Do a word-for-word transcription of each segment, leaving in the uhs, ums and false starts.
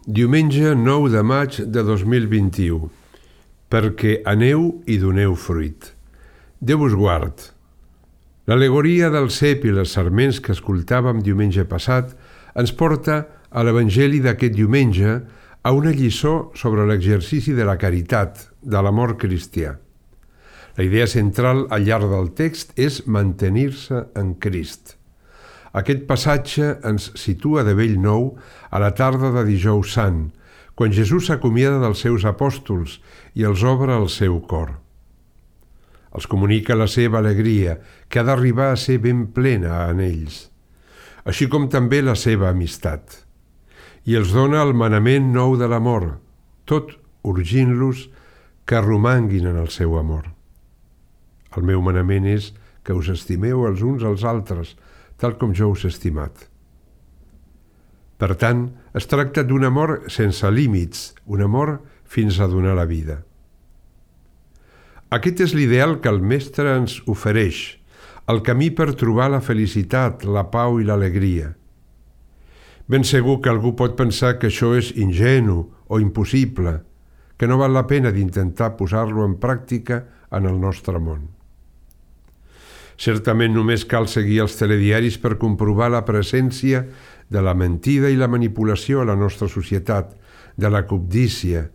Diumenge nou de maig de dos mil vint-i-u. Perquè aneu i doneu fruit. Déu us guard. L'al·legoria del cep i les sarments que escoltàvem diumenge passat ens porta a l'Evangeli d'aquest diumenge a una lliçó sobre l'exercici de la caritat, de l'amor cristià. La idea central al llarg del text és mantenir-se en Crist. Aquest passatge ens situa de bell nou a la tarda de Dijous Sant, quan Jesús s'acomiada dels seus apòstols i els obre el seu cor. Els comunica la seva alegria, que ha d'arribar a ser ben plena en ells, així com també la seva amistat. I els dona el manament nou de l'amor, tot urgint-los que romanguin en el seu amor. El meu manament és que us estimeu els uns als altres, tal com jo us he estimat. Per tant, es tracta d'un amor sense límits, un amor fins a donar la vida. Aquest és l'ideal que el Mestre ens ofereix, el camí per trobar la felicitat, la pau i l'alegria. Ben segur que algú pot pensar que això és ingenu o impossible, que no val la pena d'intentar posar-lo en pràctica en el nostre món. Certament només cal seguir els telediaris per comprovar la presència de la mentida i la manipulació a la nostra societat, de la cobdícia,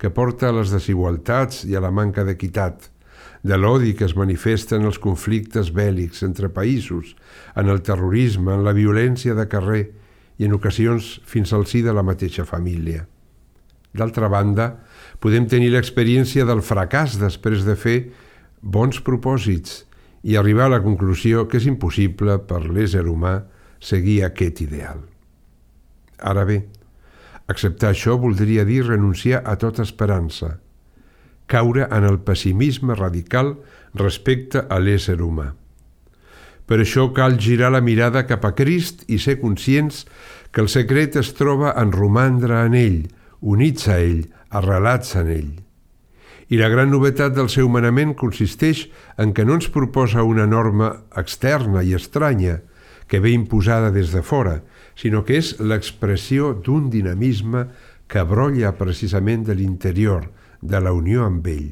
que porta a les desigualtats i a la manca d'equitat, de l'odi que es manifesta en els conflictes bèl·lics entre països, en el terrorisme, en la violència de carrer i en ocasions fins al si de la mateixa família. D'altra banda, podem tenir l'experiència del fracàs després de fer bons propòsits i arribar a la conclusió que és impossible per l'ésser humà seguir aquest ideal. Ara bé, acceptar això voldria dir renunciar a tota esperança, caure en el pessimisme radical respecte a l'ésser humà. Per això cal girar la mirada cap a Crist i ser conscients que el secret es troba en romandre en ell, units a ell, arrelats en ell. I la gran novetat del seu manament consisteix en que no ens proposa una norma externa i estranya que ve imposada des de fora, sinó que és l'expressió d'un dinamisme que brolla precisament de l'interior, de la unió amb ell.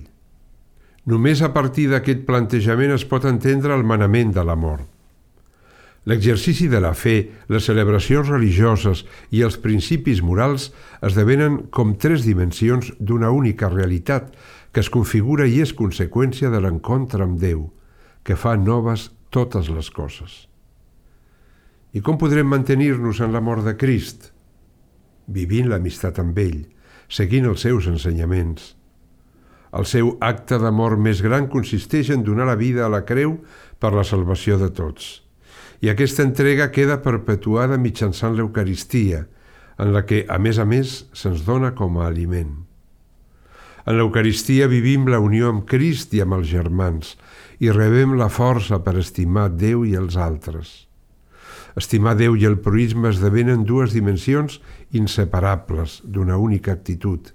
Només a partir d'aquest plantejament es pot entendre el manament de l'amor. L'exercici de la fe, les celebracions religioses i els principis morals esdevenen com tres dimensions d'una única realitat que es configura i és conseqüència de l'encontre amb Déu, que fa noves totes les coses. I com podrem mantenir-nos en l'amor de Crist? Vivint l'amistat amb ell, seguint els seus ensenyaments. El seu acte d'amor més gran consisteix en donar la vida a la creu per la salvació de tots. I aquesta entrega queda perpetuada mitjançant l'Eucaristia, en la que, a més a més, se'ns dona com a aliment. En l'Eucaristia vivim la unió amb Crist i amb els germans i rebem la força per estimar Déu i els altres. Estimar Déu i el proïsme esdevenen dues dimensions inseparables d'una única actitud,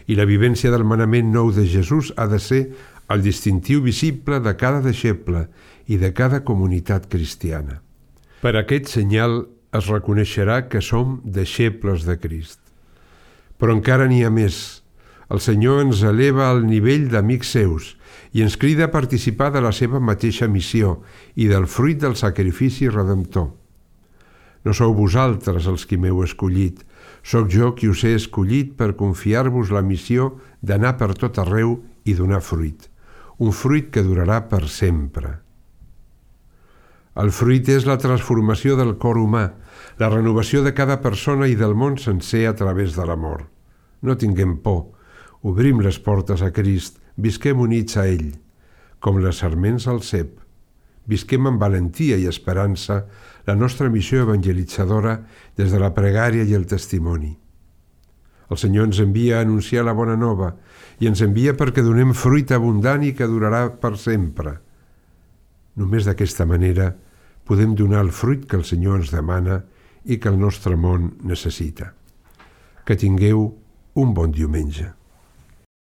i la vivència del manament nou de Jesús ha de ser el distintiu visible de cada deixeble i de cada comunitat cristiana. Per aquest senyal es reconeixerà que som deixebles de Crist. Però encara n'hi ha més. El Senyor ens eleva al nivell d'amics seus i ens crida a participar de la seva mateixa missió i del fruit del sacrifici redemptor. No sou vosaltres els qui m'heu escollit, sóc jo qui us he escollit per confiar-vos la missió d'anar per tot arreu i donar fruit, un fruit que durarà per sempre. El fruit és la transformació del cor humà, la renovació de cada persona i del món sencer a través de l'amor. No tinguem por, obrim les portes a Crist, visquem units a ell, com les sarments al cep. Visquem amb valentia i esperança la nostra missió evangelitzadora des de la pregària i el testimoni. El Senyor ens envia a anunciar la bona nova i ens envia perquè donem fruit abundant i que durarà per sempre. Només d'aquesta manera podem donar el fruit que el Senyor ens demana i que el nostre món necessita. Que tingueu un bon diumenge.